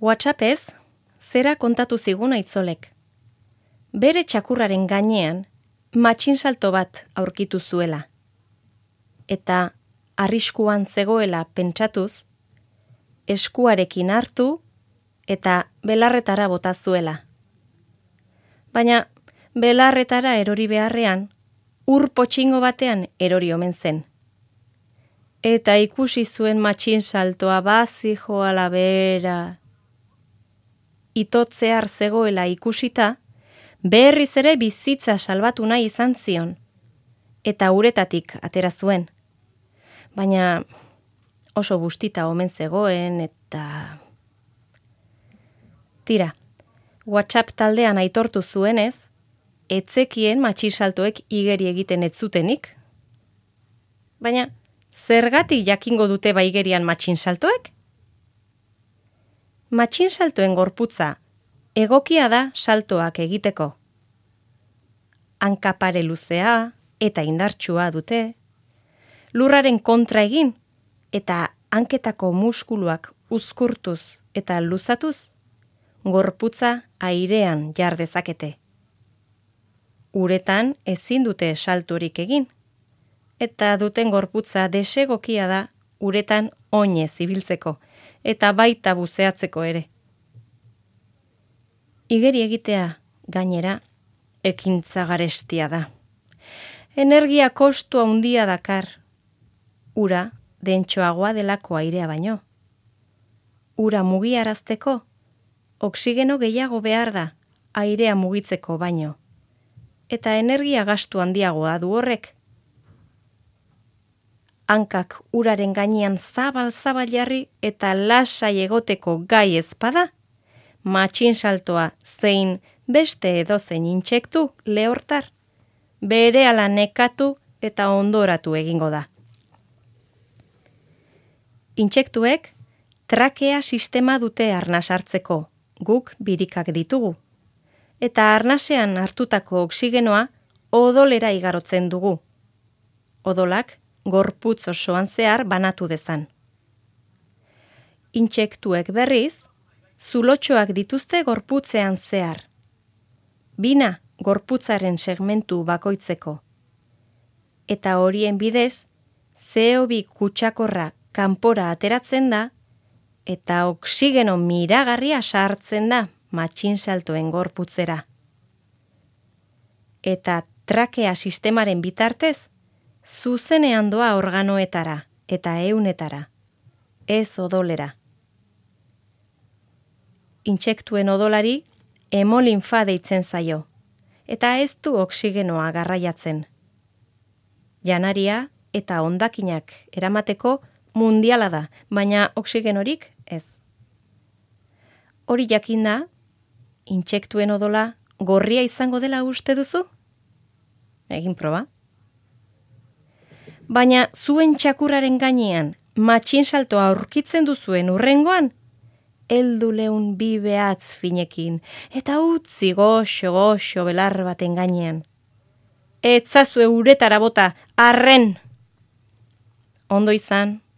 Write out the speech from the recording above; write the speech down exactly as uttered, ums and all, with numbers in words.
WhatsAppez, zera kontatu zigun aitzolek. Bere txakurraren gainean, matxinsalto bat aurkitu zuela. Eta arriskuan zegoela pentsatuz, eskuarekin hartu eta belarretara bota zuela. Baina belarretara erori beharrean, ur potxingo batean erori omen zen. Eta ikusi zuen matxinsaltoa bazijoala bera. Itotzear zegoela ikusita, berriz ere bizitza salbatu nahi izan zion, eta uretatik atera zuen. Baina oso bustita omen zegoen eta... Tira, WhatsApp taldean aitortu zuenez, etzekien matxinsaltoek igeri egiten ez zutenik. Baina, zergatik jakingo dute baigerian matxinsaltoek? Matxinsaltoen gorputza egokia da saltoak egiteko. Hanka pare luzea eta indartsua dute, lurraren kontra egin eta hanketako muskuluak uzkurtuz eta luzatuz, gorputza airean jar dezakete. Uretan ezin dute saltorik egin, eta duten gorputza desegokia da uretan oinez ibiltzeko, eta baita buzeatzeko ere. Igeri egitea, gainera, ekintza garestia da. Energia kostu handia dakar, ura dentsoagoa delako airea baino. Ura mugiarazteko, oksigeno gehiago behar da, airea mugitzeko baino. Eta energia gastu handiagoa du horrek. Hankak uraren gainean zabal-zabal jarri eta lasai egoteko gai ezpada, matxinsaltoa zein beste edozein intsektu lehortar, berehala nekatu eta ondoratu egingo da. Intsektuek trakea sistema dute arnas hartzeko, guk birikak ditugu. Eta arnasean hartutako oksigenoa odolera igarotzen dugu. Odolak gorputz osoan zehar banatu dezan. Intsektuek berriz, zulotxoak dituzte gorputzean zehar. Bina gorputzaren segmentu bakoitzeko. Eta horien bidez, C O bi kutsakorra kanpora ateratzen da, eta oksigeno miragarria sartzen da matxinsaltoen gorputzera. Eta trakea sistemaren bitartez, zuzenean doa organoetara eta eunetara, ez odolera. Intsektuen odolari hemolinfa deitzen zaio, eta ez du oksigenoa garraiatzen. Janaria eta hondakinak eramateko mundiala da, baina oksigenorik ez. Hori jakinda, intsektuen odola gorria izango dela uste duzu? Egin proba. Baina zuen txakurraren gainean matxinsaltoa aurkitzen duzuen urrengoan, heldu leun bi behatz finekin, eta utzi goxo-goxo belar baten gainean. Etzazue uretara bota, arren! Ondo izan.